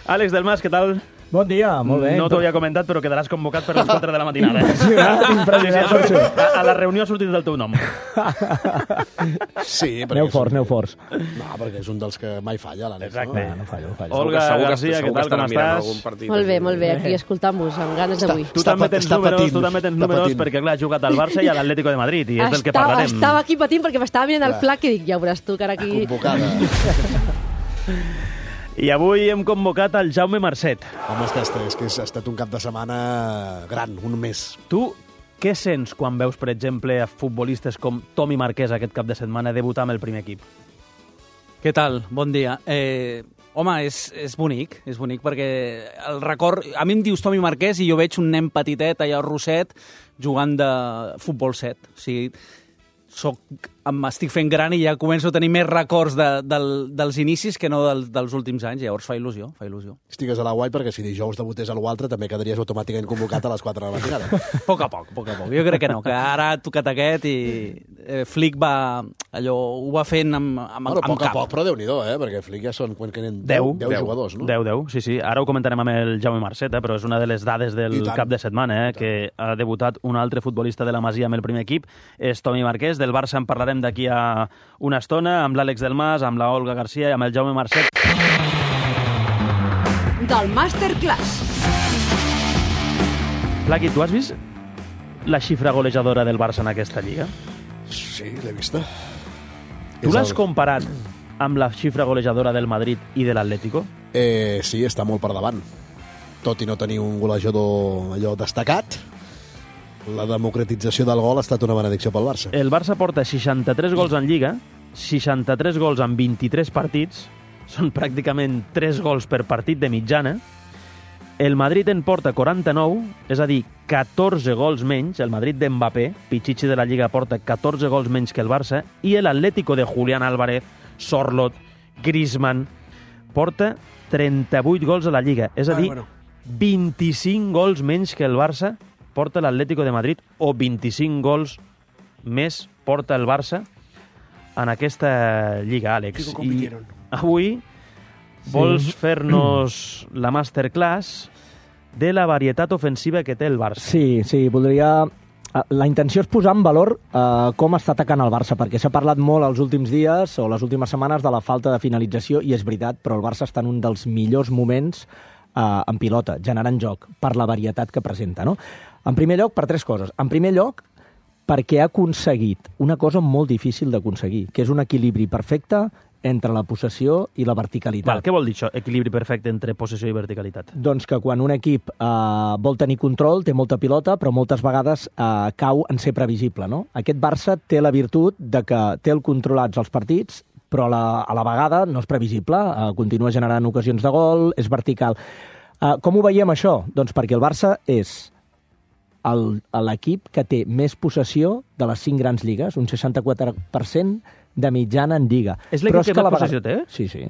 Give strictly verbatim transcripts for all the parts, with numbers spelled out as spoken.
Àlex Delmas, què tal? Bon dia, molt bé. No t'ho havia comentat, però quedaràs convocat per les quatre de la matinada. Impressionant, impressionant per això. A, a la reunió ha sortit del teu nom. Sí, Aneu forts, aneu forts. No, perquè és un dels que mai falla, l'Àlex. Exacte. No, no fallo, no fallo. Olga Segur que- Garcia, segur què que tal, com estarà mirant estàs? algun partit Molt bé, així. molt bé, aquí escoltant-vos, amb ganes d'avui. Tu Està també pat- tens està números, patint, tu també tens està números, patint. perquè clar, has jugat al Barça i a l'Atlético de Madrid, i és del que Estava, parlarem. estava aquí patint perquè m'estava mirant el Clar. flac i dic, ja veuràs tu que ara aquí... Convocada. I avui hem convocat el Jaume Marcet. Home, és que, és, és que ha estat un cap de setmana gran, un mes. Tu què sents quan veus, per exemple, a futbolistes com Tomi Marquès aquest cap de setmana debutar amb el primer equip? Què tal? Bon dia. Eh, home, és, és bonic, és bonic perquè el record... A mi em dius Tomi Marquès i jo veig un nen petitet allà al Roset jugant de futbol set. O sigui, soc, m'estic fent gran i ja començo a tenir més records de, del, dels inicis que no del, dels últims anys. Llavors fa il·lusió, fa il·lusió. Estigues a la guai perquè si dijous debutés a l'altre també quedaries automàticament convocat a les quatre de la matinada. A poc a poc, a poc a poc. Jo crec que no, que ara ha tocat aquest i eh, Flick va... allò, ho va fent amb, amb, Bueno, a amb poc a cap. poc, però Déu-n'hi-do, eh? Perquè Flick ja són quan queden Deu. deu jugadors, no? deu, deu, sí, sí. Ara ho comentarem amb el Jaume Marcet, eh, però és una de les dades del I tant. cap de setmana, eh, que ha debutat un altre futbolista de la Masia amb el primer equip, és Tomi Marquès. Del Barça en parlarem d'aquí a una estona, amb l'Àlex Delmas, amb la Olga Garcia i amb el Jaume Marcet. Del Masterclass. Flaqui, tu has vist la xifra golejadora del Barça en aquesta lliga? Sí, l'he vista. Tu És l'has el- comparat amb la xifra golejadora del Madrid i de l'Atlético? Eh, sí, està molt per davant. Tot i no tenir un golejador allò destacat, la democratització del gol ha estat una benedicció pel Barça. El Barça porta seixanta-tres gols en Lliga, seixanta-tres gols en vint-i-tres partits, són pràcticament tres gols per partit de mitjana. El Madrid en porta quaranta-nou, és a dir, catorze gols menys. El Madrid d'Mbappé, Pichichi de la Lliga, porta catorze gols menys que el Barça, i l'Atlético de Julián Álvarez, Sorloth, Griezmann, porta trenta-vuit gols a la Lliga, és a dir, Ah, bueno. vint-i-cinc gols menys que el Barça porta l'Atlético de Madrid, o vint-i-cinc gols més porta el Barça en aquesta Lliga, Àlex. I avui vols fer-nos la masterclass de la varietat ofensiva que té el Barça. Sí, sí, voldria... La intenció és posar en valor eh, com està atacant el Barça, perquè s'ha parlat molt els últims dies o les últimes setmanes de la falta de finalització, i és veritat, però el Barça està en un dels millors moments eh, en pilota, generant joc, per la varietat que presenta, no? En primer lloc, per tres coses. En primer lloc, perquè ha aconseguit una cosa molt difícil d'aconseguir, que és un equilibri perfecte entre la possessió i la verticalitat. Val, què vol dir això, equilibri perfecte entre possessió i verticalitat? Doncs que quan un equip eh, vol tenir control, té molta pilota, però moltes vegades eh, cau en ser previsible, no? Aquest Barça té la virtut de que té el controlats els partits, però a la, a la vegada no és previsible, eh, continua generant ocasions de gol, és vertical. Eh, com ho veiem això? Doncs perquè el Barça és el- l'equip que té més possessió de les cinc grans lligues, un seixanta-quatre per cent de mitjana en Lliga. És l'equip Però que a la més vegada- possessió té? Sí, sí.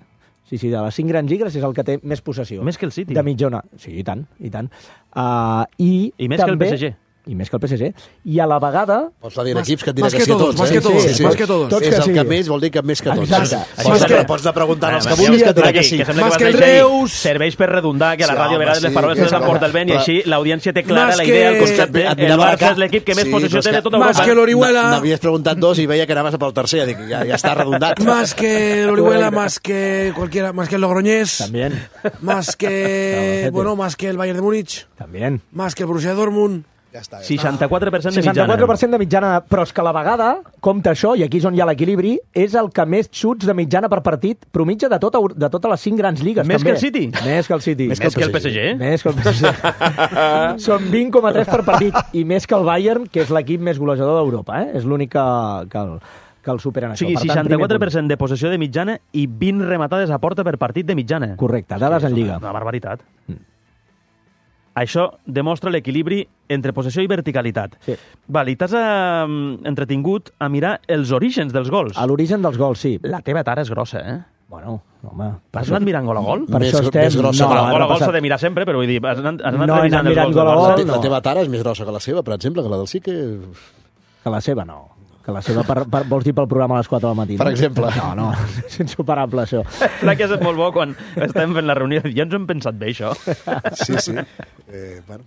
Sí, sí, de les cinc grans lligues és el que té més possessió. Més que el City. De mitjana. Sí, i tant, i tant. Uh, i, I més que el també, P S G. I més que el P S G. I a la vegada... Pots dir Más- equips que et diré más que que sí a todos, tots. más eh? que todos, Sí, sí, más sí. que todos. Tots És que el sí. que més vol dir que més que tots. Exacte. Això Más és que- que pots anar preguntant els que Aviam, vulguis que et diré Flaqui, que sí. que sembla Más que que vas el a dir, Reus. serveix per redundar, que a la Sí, ràdio a home, vegades sí, les paraules que se les és emporta el vent, i clar. així l'audiència té clara Más la que- idea, el Es que concepte. et El mirava la Barça cara. és l'equip que més Sí, possessió però és té de que- tota Más Europa. que l'Orihuela. N'havies preguntat dos i veia que anaves pel tercer. Dic, ja, ja està redondat. Más que el Orihuela, más que cualquiera, más que el Logroñés, También, más que, Albacete. bueno, más que el Bayern de Múnich, también. más que el Borussia Dortmund. Ja està. Ja està. seixanta-quatre per cent de mitjana. seixanta-quatre per cent de mitjana, però és que a la vegada, compta això, i aquí és on hi ha l'equilibri, és el que més xuts de mitjana per partit promitja de, tota, de totes les cinc grans lligues. Més també. que el City? Més que el City. Més que el P S G. Més que el P S G. Són vint coma tres per partit, i més que el Bayern, que és l'equip més golejador d'Europa. Eh? És l'únic que, que, el, que el supera en O sigui, això. Per tant, seixanta-quatre per primer cent de possessió de mitjana i vint rematades a porta per partit de mitjana. punt. Correcte, dades en Lliga. Una barbaritat. Això demostra l'equilibri entre possessió i verticalitat. Sí. Val, i t'has eh, entretingut a mirar els orígens dels gols. A l'origen dels gols, sí. La teva tara és grossa, eh? Bueno, home... Has anat mirant gol a gol? Per Més- això estem... més grossa que la Bueno, hem gol a gol repassat- s'ha de mirar sempre, però vull dir, has anat, has anat No he revisant anat els mirant gols gol a del gol, Barça. La, te no. la teva tara és més grossa que la seva, per exemple, que la del sí que... Que la seva no. Que la seva, per, per, vols dir pel programa a les quatre del matí, no? Per exemple. No, no, és insuperable, això. Clar que és molt bo quan estem fent la reunió. Ja ens ho hem pensat bé, això. Sí, sí. Eh, bueno.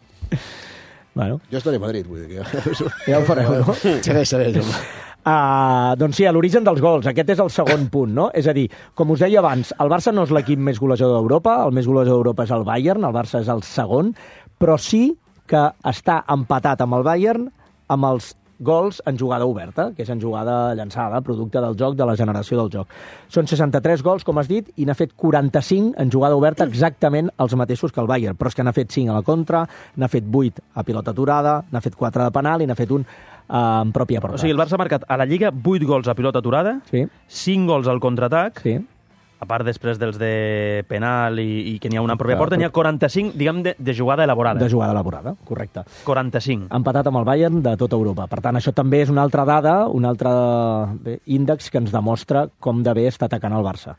Bueno, Jo estaré a Madrid, vull dir que... ja ho fareu, no? Segueix, segueix, home. Uh, doncs sí, a l'origen dels gols. Aquest és el segon punt, no? És a dir, com us deia abans, el Barça no és l'equip més golejador d'Europa, el més golejador d'Europa és el Bayern, el Barça és el segon, però sí que està empatat amb el Bayern amb els gols en jugada oberta, que és en jugada llançada, producte del joc, de la generació del joc. Són seixanta-tres gols, com has dit, i n'ha fet quaranta-cinc en jugada oberta, exactament els mateixos que el Bayern, però és que n'ha fet cinc a la contra, n'ha fet vuit a pilota aturada, n'ha fet quatre de penal i n'ha fet un eh, en pròpia porta. O sigui, el Barça ha marcat a la Lliga vuit gols a pilota aturada, Sí, cinc gols al contraatac, sí. a part després dels de penal i, i que n'hi ha una en pròpia Clar, porta, n'hi ha quaranta-cinc, diguem, de, de jugada elaborada. De jugada elaborada, correcte. quaranta-cinc. Empatat amb el Bayern de tota Europa. Per tant, això també és una altra dada, un altre bé, índex que ens demostra com de bé està atacant el Barça.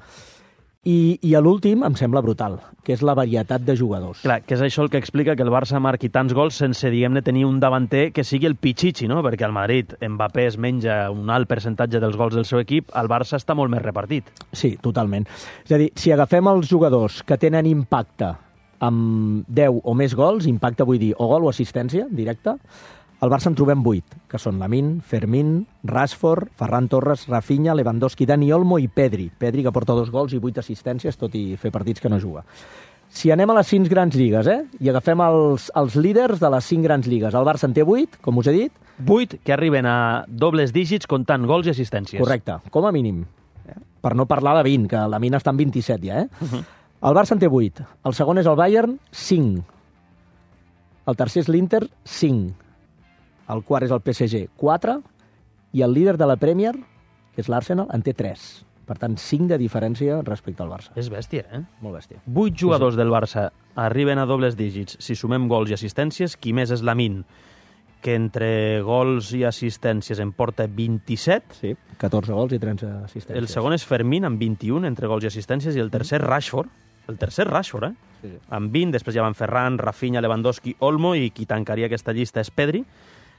I, i a l'últim em sembla brutal, que és la varietat de jugadors. Clar, que és això el que explica que el Barça marqui tants gols sense, diguem-ne, tenir un davanter que sigui el Pichichi, no? Perquè al Madrid Mbappé es menja un alt percentatge dels gols del seu equip, el Barça està molt més repartit. Sí, totalment. És a dir, si agafem els jugadors que tenen impacte amb deu o més gols, impacte vull dir o gol o assistència directa, al Barça en trobem vuit, que són Lamine, Fermín, Rashford, Ferran Torres, Rafinha, Lewandowski, Dani Olmo i Pedri. Pedri, que porta dos gols i vuit assistències, tot i fer partits que no juga. Si anem a les cinc grans lligues, eh? I agafem els, els líders de les cinc grans lligues. El Barça en té vuit, com us he dit. vuit que arriben a dobles dígits comptant gols i assistències. Correcte, com a mínim. Eh? Per no parlar de vint, que la mina està en vint-i-set ja, eh? Uh-huh. El Barça en té vuit. El segon és el Bayern, cinc. El tercer és l'Inter, cinc. El quart és el P S G, quatre, i el líder de la Premier, que és l'Arsenal, en té tres. Per tant, cinc de diferència respecte al Barça. És bèstia, eh? Molt bèstia. Vuit jugadors del Barça arriben a dobles dígits. Si sumem gols i assistències, qui més és Lamine, que entre gols i assistències en porta vint-i-set. Sí, catorze gols i tretze assistències. El segon és Fermín, amb vint-i-un entre gols i assistències, i el tercer Rashford. El tercer Rashford, eh? Sí, sí. Amb vint, després ja van Ferran, Rafinha, Lewandowski, Olmo, i qui tancaria aquesta llista és Pedri,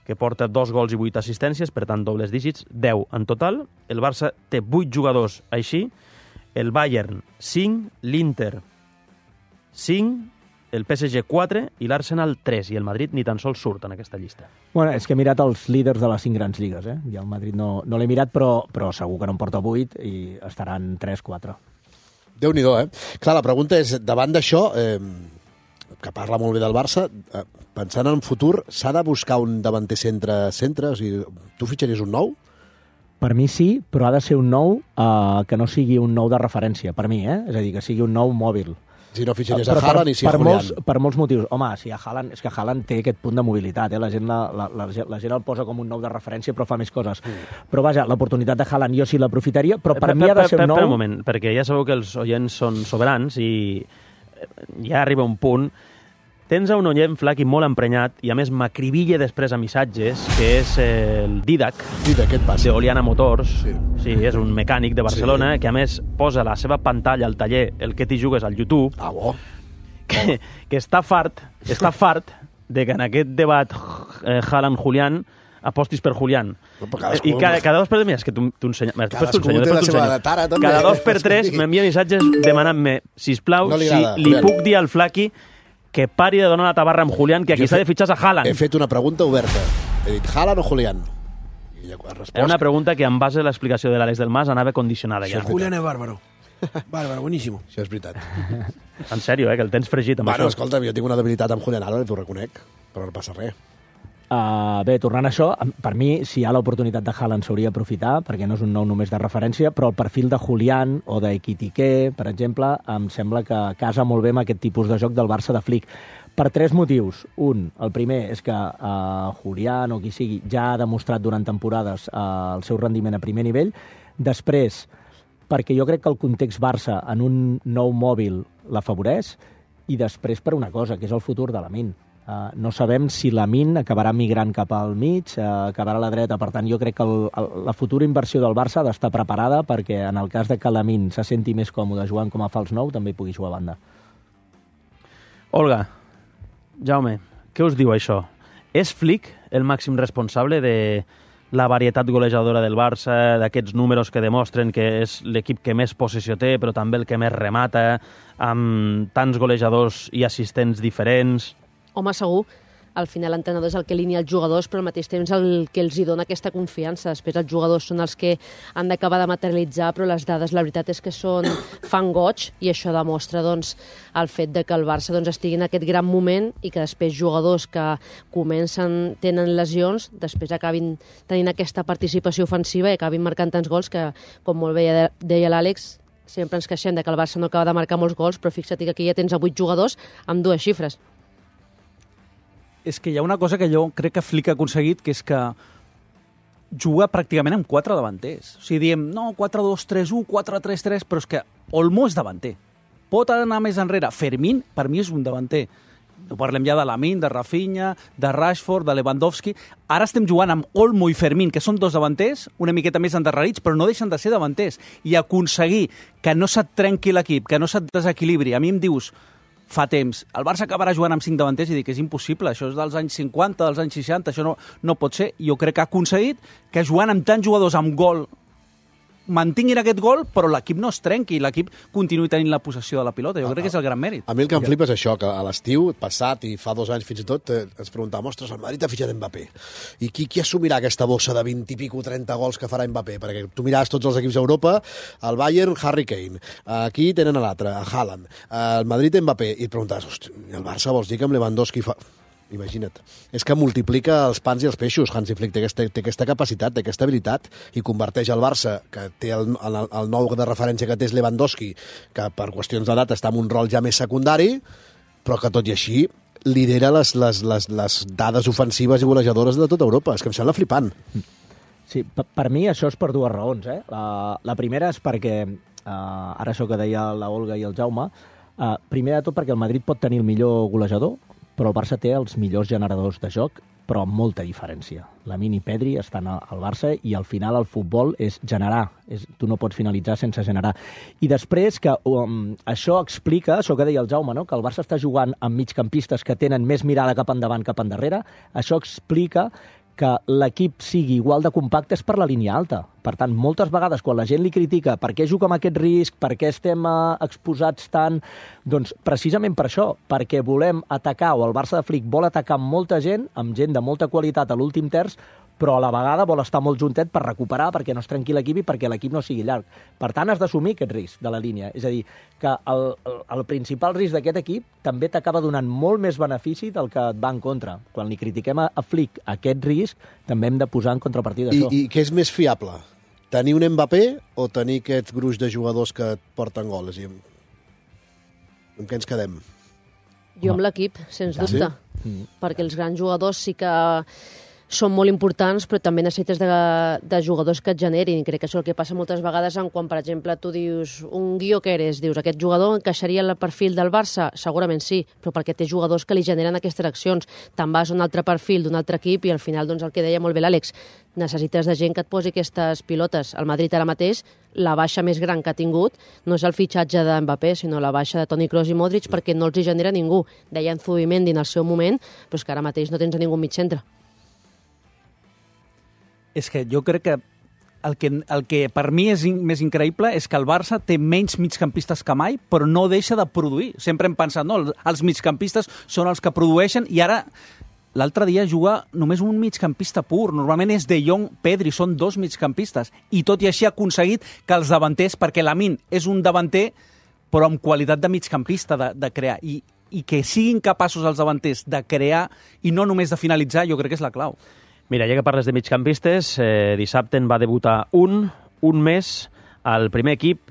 que porta dos gols i vuit assistències, per tant, dobles dígits, deu en total. El Barça té vuit jugadors així, el Bayern cinc, l'Inter cinc, el P S G quatre i l'Arsenal tres, i el Madrid ni tan sols surt en aquesta llista. Bueno, és que he mirat els líders de les cinc grans lligues, eh? I el Madrid no, no l'he mirat, però, però segur que no en porta vuit i estaran tres quatre. Déu-n'hi-do, eh? Clar, la pregunta és, davant d'això, eh, que parla molt bé del Barça, eh, pensant en futur, s'ha de buscar un davanter centre-centre? O sigui, tu fitxaries un nou? Per mi sí, però ha de ser un nou eh, que no sigui un nou de referència, per mi, eh? És a dir, que sigui un nou mòbil. Si no fitxaries Però a Haaland i si a per, Julián. molts, per molts motius. Home, si a Haaland, és que Haaland té aquest punt de mobilitat, eh? la, gent la, la, la, la gent el posa com un nou de referència, però fa més coses. Mm. Però vaja, l'oportunitat de Haaland jo sí l'aprofitaria, però per, per mi ha de ser un nou... Per un moment, perquè ja sabeu que els oients són soberans i ja arriba un punt. Tens a un oient Flaqui molt emprenyat i a més m'acribilla després a missatges, que és el Didac, Didac, què et passa? de Oliana Motors. Sí. Sí, és un mecànic de Barcelona, sí, que a més posa la seva pantalla al taller El que t'hi jugues al YouTube, Ah, bo. que, que està fart, està fart de que en aquest debat eh, Haaland-Julián apostis per Julián. No, però cadascú- I cada, cada dos per tres, mira, és que tu, tu ensenya, mira, després t'ho Cadascú ensenyo, té la després t'ho seva ensenyo. tara, també. Cada dos per tres m'envia missatges demanant-me, sisplau, No li si agrada, li Julián. puc dir al Flaqui que pari de donar la tabarra amb Julián, que aquí Jo s'ha he de fitxar a Haaland. He fet una pregunta oberta. He dit, Haaland o Julián? I ja ha respost. Era una pregunta que, en base a l'explicació de l'Àlex del Mas, anava condicionada ja. Julián es bárbaro. Bárbaro, buenísimo. Això és veritat. En sèrio, eh, que el tens fregit amb Bueno, això. escolta'm, jo tinc una debilitat amb Julián Álvarez, t'ho reconec, però no passa res. Uh, bé, tornant a això, per mi, si hi ha l'oportunitat de Haaland s'hauria d'aprofitar, perquè no és un nou només de referència, però el perfil de Julián o d'Ekitike, per exemple, em sembla que casa molt bé amb aquest tipus de joc del Barça de Flick. Per tres motius. Un, el primer és que uh, Julián o qui sigui ja ha demostrat durant temporades uh, el seu rendiment a primer nivell. Després, perquè jo crec que el context Barça en un nou mòbil l'afavoreix, i després per una cosa, que és el futur de Lamine. Uh, no sabem si Lamine acabarà migrant cap al mig, uh, acabarà a la dreta. Per tant, jo crec que el, el, la futura inversió del Barça ha d'estar preparada perquè en el cas de que Lamine se senti més còmode jugant com a fals nou, també pugui jugar a banda. Olga, Jaume, què us diu això? És Flick el màxim responsable de la varietat golejadora del Barça, d'aquests números que demostren que és l'equip que més possessió té, però també el que més remata, amb tants golejadors i assistents diferents. Home, segur. Al final l'entrenador és el que alinea els jugadors, però al mateix temps el que els hi dona aquesta confiança. Després els jugadors són els que han d'acabar de materialitzar, però les dades, la veritat és que són fan goig, i això demostra doncs, el fet de que el Barça doncs, estigui en aquest gran moment i que després jugadors que comencen, tenen lesions, després acabin tenint aquesta participació ofensiva i acabin marcant tants gols que, com molt bé deia l'Àlex, sempre ens queixem de que el Barça no acaba de marcar molts gols, però fixa't que aquí ja tens a vuit jugadors amb dues xifres. És que hi ha una cosa que jo crec que Flick ha aconseguit, que és que juga pràcticament amb quatre davanters. O sigui, diem, no, quatre dos tres u, quatre tres tres, però és que Olmo és davanter. Pot anar més enrere. Fermín, per mi, és un davanter. No parlem ja de Lamine, de Rafinha, de Rashford, de Lewandowski. Ara estem jugant amb Olmo i Fermín, que són dos davanters, una miqueta més endarrerits, però no deixen de ser davanters. I aconseguir que no se't trenqui l'equip, que no se't desequilibri. A mi em dius, fa temps, el Barça acabarà jugant amb cinc davanters i dic que és impossible, això és dels anys cinquanta, dels anys seixanta, això no, no pot ser. Jo crec que ha aconseguit que jugant amb tants jugadors amb gol mantinguin aquest gol, però l'equip no es trenqui, l'equip continuï tenint la possessió de la pilota. Jo crec que és el gran mèrit. A mi el que em flipa és això, que a l'estiu passat i fa dos anys fins i tot eh, ens preguntàvem, ostres, el Madrid ha fitxat Mbappé. I qui, qui assumirà aquesta bossa de vint i pico, trenta gols que farà Mbappé? Perquè tu miràs tots els equips d'Europa, el Bayern, Harry Kane, aquí tenen a l'altre, a Haaland, el Madrid, Mbappé, i et preguntes, hosti, el Barça vols dir que amb Lewandowski fa... Imagina't. És que multiplica els pans i els peixos, Hansi Flick. Té aquesta, té aquesta capacitat, té aquesta habilitat, i converteix el Barça, que té el, el, el nou de referència que té és Lewandowski, que per qüestions d'edat està en un rol ja més secundari, però que tot i així lidera les, les, les, les dades ofensives i golejadores de tota Europa. És que em sembla flipant. Sí, per, per mi això és per dues raons. Eh? La, la primera és perquè, eh, ara això que deia la Olga i el Jaume, eh, primer de tot perquè el Madrid pot tenir el millor golejador, però el Barça té els millors generadors de joc, però amb molta diferència. Lamine i Pedri estan al Barça i al final el futbol és generar. És, tu no pots finalitzar sense generar. I després que um, això explica, això que deia el Jaume, no? Que el Barça està jugant amb migcampistes que tenen més mirada cap endavant, cap endarrere, això explica que l'equip sigui igual de compacte és per la línia alta. Per tant, moltes vegades, quan la gent li critica per què juga amb aquest risc, per què estem eh, exposats tant, doncs precisament per això, perquè volem atacar, o el Barça de Flick vol atacar amb molta gent, amb gent de molta qualitat a l'últim terç, però a la vegada vol estar molt juntet per recuperar, perquè no es trenqui l'equip i perquè l'equip no sigui llarg. Per tant, has d'assumir aquest risc de la línia. És a dir, que el, el, el principal risc d'aquest equip també t'acaba donant molt més benefici del que et va en contra. Quan li critiquem a, a Flick aquest risc, també hem de posar en contrapartida I, això. I què és més fiable? Tenir un Mbappé o tenir aquest gruix de jugadors que et porten gols? I amb... amb què ens quedem? Jo amb l'equip, sens Ah, dubte. sí? Perquè els grans jugadors sí que són molt importants, però també necessites de, de jugadors que et generin. Crec que això és el que passa moltes vegades en quan, per exemple, tu dius un Gyökeres, dius aquest jugador encaixaria en el perfil del Barça? Segurament sí, però perquè té jugadors que li generen aquestes accions. Te'n vas a un altre perfil d'un altre equip i al final, doncs, el que deia molt bé l'Àlex, necessites de gent que et posi aquestes pilotes. El Madrid ara mateix, la baixa més gran que ha tingut no és el fitxatge de Mbappé, sinó la baixa de Toni Kroos i Modric, perquè no els hi genera ningú. Deia Zubimendi en el seu moment, però és que ara mateix no tens a ningú mig centre. És que jo crec que el que, el que per mi és in, més increïble és que el Barça té menys migcampistes que mai, però no deixa de produir. Sempre hem pensat, no, els migcampistes són els que produeixen, i ara l'altre dia juga només un migcampista pur. Normalment és De Jong, Pedri, són dos migcampistes. I tot i així ha aconseguit que els davanters, perquè Lamine és un davanter, però amb qualitat de migcampista, de, de crear. I, I que siguin capaços els davanters de crear i no només de finalitzar, jo crec que és la clau. Mira, ja que parles de migcampistes, eh, dissabte en va debutar un, un més al primer equip,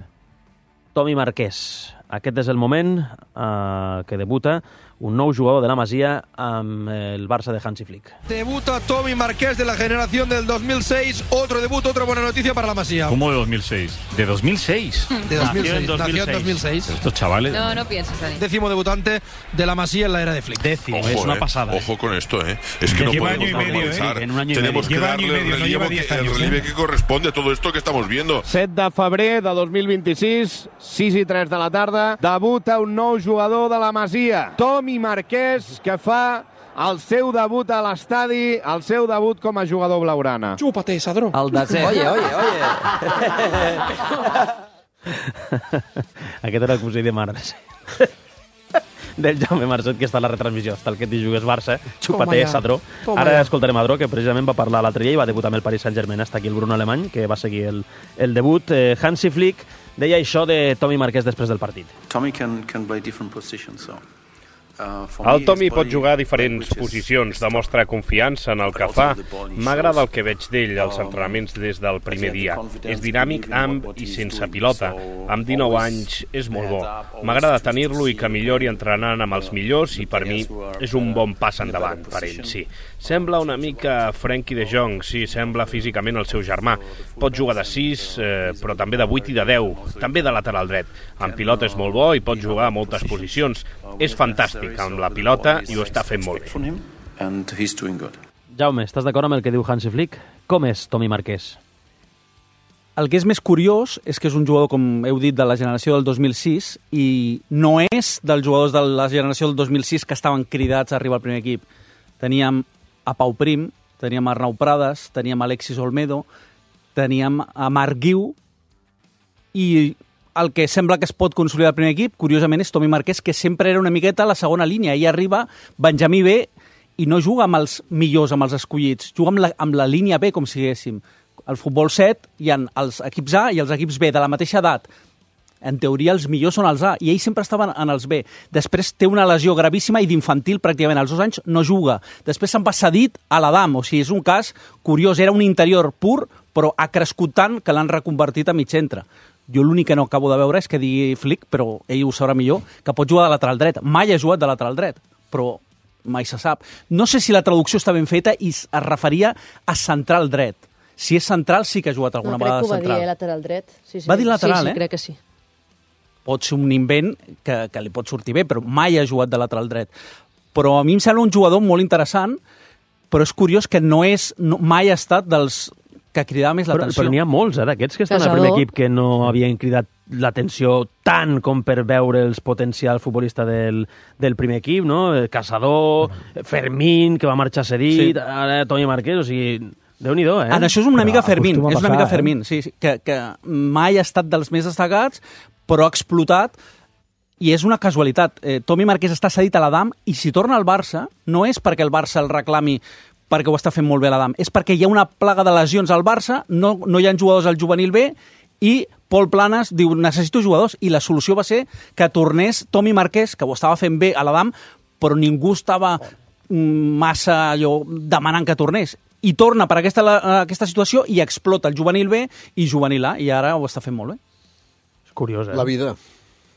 Tomi Marquès. Aquest és el moment eh, que debuta un nou jugador de la Masia amb el Barça de Hansi Flick. Debuta Tomi Marqués de la generación del dos mil seis. Otro debut, otra buena noticia para la Masía. ¿Cómo de dos mil seis? ¿De dos mil seis? De dos mil seis. Nació en dos mil seis. Nació en dos mil seis. Estos chavales... No, no pienses, Dani. Décimo debutante de la Masía en la era de Flick. Décimo, Ojo, es una eh, pasada. Ojo con esto, ¿eh? Es que no Lleva podemos año y medio, normalizar. eh, en un año y Tenemos medio. que Lleva año y darle el medio, no relevo, lleva que, diez el años, relieve eh. que corresponde a todo esto que estamos viendo. set de febrer de dos mil vint-i-sis, sis i tres de la tarda, debuta un nou jugador de la Masia, Tomi Marquès, que fa el seu debut a l'estadi, el seu debut com a jugador blaugrana. Chúpate, Sadró. El desè. Oye, oye, oye. Aquest era el cosí de Març. Del Jaume Marcet, que està a la retransmissió. Està el que t'hi jugues Barça, Chúpate, Sadró. Ara escoltarem a Adró, que precisament va parlar l'altre dia i va debutar amb el Paris Saint-Germain. Està aquí el Bruno Alemany, que va seguir el, el debut. Eh, Hansi Flick deia això de Tommy Marquès després del partit. Tommy can, can play different positions, so... El Tommy pot jugar a diferents posicions, demostra confiança en el que fa. M'agrada el que veig d'ell als entrenaments des del primer dia. És dinàmic amb i sense pilota. Amb dinou anys és molt bo. M'agrada tenir-lo i que millori entrenant amb els millors i per mi és un bon pas endavant per ell, sí. Sembla una mica Frenkie de Jong, sí, sembla físicament el seu germà. Pot jugar de sis, eh, però també de vuit i de deu, també de lateral dret. Amb pilota és molt bo i pot jugar a moltes posicions. És fantàstic amb la pilota i ho està fent molt bé. Jaume, estàs d'acord amb el que diu Hansi Flick? Com és Tommy Marquès? El que és més curiós és que és un jugador, com heu dit, de la generació del dos mil sis i no és dels jugadors de la generació del dos mil sis que estaven cridats a arribar al primer equip. Teníem a Pau Prim, teníem a Arnau Prades, teníem a Alexis Olmedo, teníem a Marc Guiu i el que sembla que es pot consolidar al primer equip, curiosament, és Tommy Marquès, que sempre era una miqueta a la segona línia. Ahir arriba Benjamí B i no juga amb els millors, amb els escollits, juga amb la, amb la línia B, com si diguéssim. Al futbol set hi ha els equips A i els equips B de la mateixa edat. En teoria, els millors són els A, i ell sempre estava en els B. Després té una lesió gravíssima i d'infantil, pràcticament als dos anys, no juga. Després se'n va cedit a l'Adam, o sigui, és un cas curiós. Era un interior pur, però ha crescut tant que l'han reconvertit a mig centre. Jo l'únic que no acabo de veure és que digui Flick, però ell ho sabrà millor, que pot jugar de lateral dret. Mai ha jugat de lateral dret, però mai se sap. No sé si la traducció està ben feta i es referia a central dret. Si és central, sí que ha jugat alguna no, vegada de central. Crec que ho va dir, eh, lateral dret. Sí, sí. Va dir lateral, sí, sí, eh? crec que sí. Pot ser un invent que, que li pot sortir bé, però mai ha jugat de lateral dret. Però a mi em sembla un jugador molt interessant, però és curiós que no és, no, mai ha estat dels que cridava més l'atenció. Però, però n'hi ha molts, eh, d'aquests que estan Casador. al primer equip que no havien cridat l'atenció tant com per veure els potencial futbolista del, del primer equip, no? Casador, Fermín, que va marxar cedit, sí. Ara Tommy Marquès, o sigui... Déu-n'hi-do, eh? En això és una Però mica Fermín, acostuma a és una passar, mica eh? Fermín, sí, sí, que, que mai ha estat dels més destacats, però ha explotat, i és una casualitat. Eh, Tommy Marquès està cedit a l'Adam, i si torna al Barça, no és perquè el Barça el reclami perquè ho està fent molt bé l'Adam, és perquè hi ha una plaga de lesions al Barça, no, no hi ha jugadors al juvenil B, i Pol Planes diu, necessito jugadors, i la solució va ser que tornés Tommy Marquès, que ho estava fent bé a l'Adam, però ningú estava massa allò, demanant que tornés. I torna per aquesta, aquesta situació i explota el juvenil B i juvenil A, i ara ho està fent molt bé. És curiós, eh? La vida.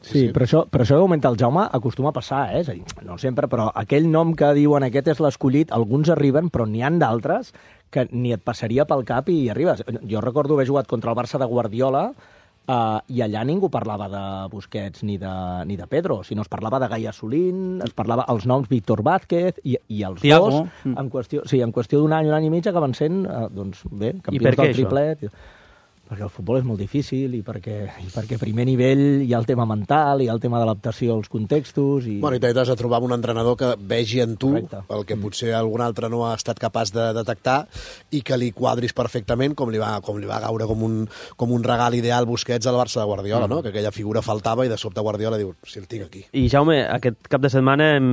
Sí, sí. Però, això, però això que comenta el Jaume acostuma a passar, eh? És a dir, no sempre, però aquell nom que diuen aquest és l'escollit, alguns arriben, però n'hi han d'altres que ni et passaria pel cap i hi arribes. Jo recordo haver jugat contra el Barça de Guardiola eh, i allà ningú parlava de Busquets ni de, ni de Pedro, sinó es parlava de Gai Assolín, es parlava els noms Víctor Vázquez i, i els Thiago. dos, en qüestió, sí, en qüestió d'un any, un any i mig, acaben sent, eh, doncs bé, campions del triplet. Això? Perquè el futbol és molt difícil i perquè, i perquè a primer nivell hi ha el tema mental, hi ha el tema d'adaptació als contextos... I... Bueno, i t'has de trobar un entrenador que vegi en tu Correcte. el que potser algun altre no ha estat capaç de detectar i que li quadris perfectament, com li va, com li va gaure com un, com un regal ideal Busquets al Barça de Guardiola, mm. no? Que aquella figura faltava i de sobte Guardiola diu, si el tinc aquí. I Jaume, aquest cap de setmana hem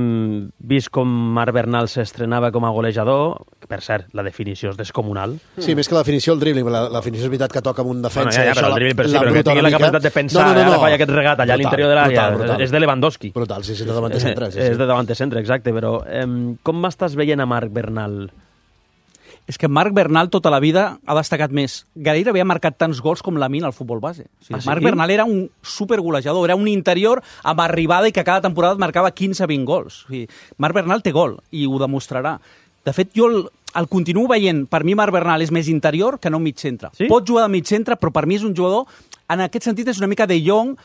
vist com Marc Bernal s'estrenava com a golejador, que per cert, la definició és descomunal. Sí, més que la definició, el dribbling, la, la definició és veritat que toca amb un defensa. Bueno, ja, ja, però el dribbling, però sí, però que tingui la capacitat de pensar, no, no, no, no. Ara falla aquest regat allà brutal, a l'interior de l'àrea, és de Lewandowski. Brutal, sí, sí, és de davant de centre. Sí, sí. És de davant de centre, exacte, però eh, com m'estàs veient a Marc Bernal? És que Marc Bernal tota la vida ha destacat més. Gairebé ha marcat tants gols com Lamine al futbol base. O sigui, ah, sí? Marc Bernal era un supergolejador, era un interior amb arribada i que cada temporada marcava quinze vint gols. O sigui, Marc Bernal té gol i ho demostrarà. De fet, jo el, el continuo veient. Per mi Marc Bernal és més interior que no mig centre. Sí? Pot jugar de mig centre, però per mi és un jugador, en aquest sentit és una mica de Jong,